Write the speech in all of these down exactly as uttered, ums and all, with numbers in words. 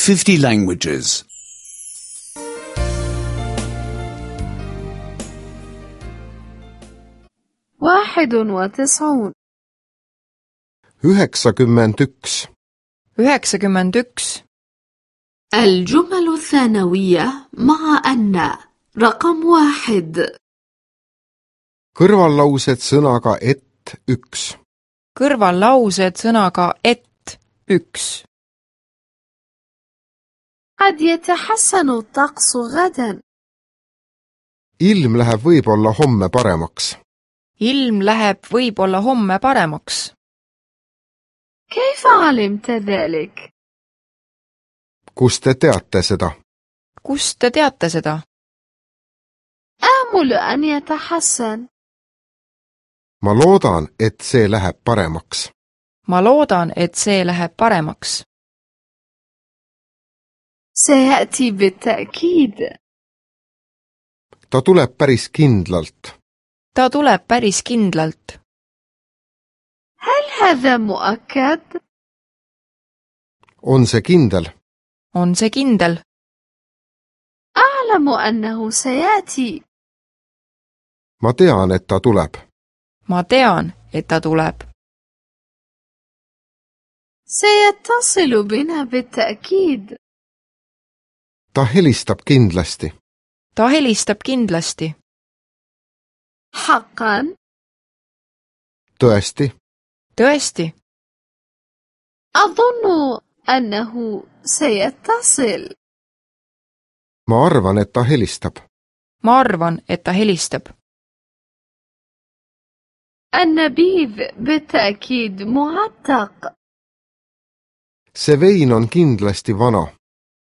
fifty languages. واحد وتسعون. üheksakümmend üks. üheksakümmend üks. الجمل الثانوية مع أن رقم واحد. kõrvallaused sõnaga et üks. kõrvallaused sõnaga et üks. قد يتحسن الطقس غدا. ilm läheb võib-olla homme paremaks. ilm läheb võib-olla homme paremaks. كيف علمت ذلك؟ kust te teate seda? kust te teate seda? آمل أن يتحسن. ma loodan, et see läheb paremaks. ma loodan, et see läheb paremaks. سيأتي بالتأكيد. ta tuleb päris kindlalt. ta tuleb päris kindlalt. هل هذا مؤكد؟ on see kindel? on see kindel? أعلم أنه سيأتي. ma tean, et ta tuleb. ma tean, et ta tuleb. سيتصل بنا بالتأكيد. ta helistab kindlasti. ta helistab kindlasti. حقا؟ tõesti? tõesti? أظن أنه سيتصل. ma arvan, et ta helistab. ma arvan, et ta helistab. النبيذ بالتأكيد معتق. see vein on kindlasti vana.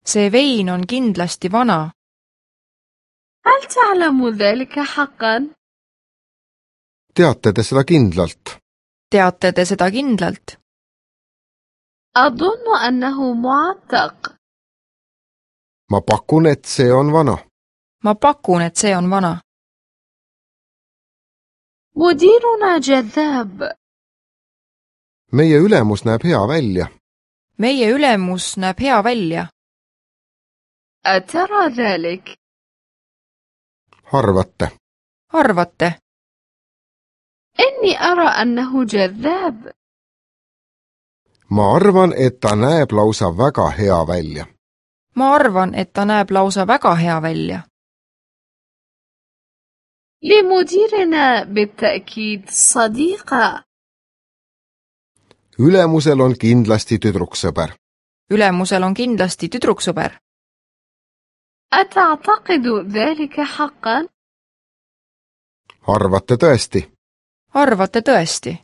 see vein on kindlasti vana. هل تعلم ذلك حقا؟ teate te seda kindlalt? teate te seda kindlalt? أظن أنه معتق. ma pakun, et see on vana. ma pakun, et see on vana. مديرنا جذاب. meie ülemus näeb hea välja. meie ülemus näeb hea välja. أترى ذلك؟ arvate? arvate? إني أرى أنه جذاب. ma arvan, et ta näeb lausa väga hea välja. ma arvan, et ta näeb lausa väga hea välja. لمديرنا بالتأكيد صديقة. ülemusel on kindlasti tüdruksõber. ülemusel on kindlasti tüdruksõber. أتعتقد ذلك حقا؟ arvate tõesti? arvate tõesti?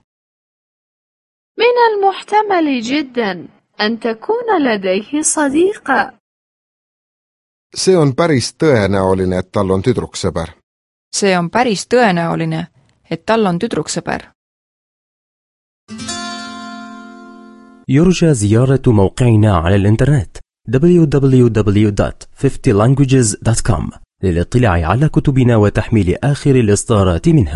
من المحتمل جدا أن تكون لديه صديقة. see on päris tõenäoline, et tal on tüdruksõber. see on päris tõenäoline, et tal on tüdruksõber. يرجى زيارة موقعنا على الإنترنت دبليو دبليو دبليو دوت fifty languages دوت كوم للاطلاع على كتبنا وتحميل آخر الإصدارات منها.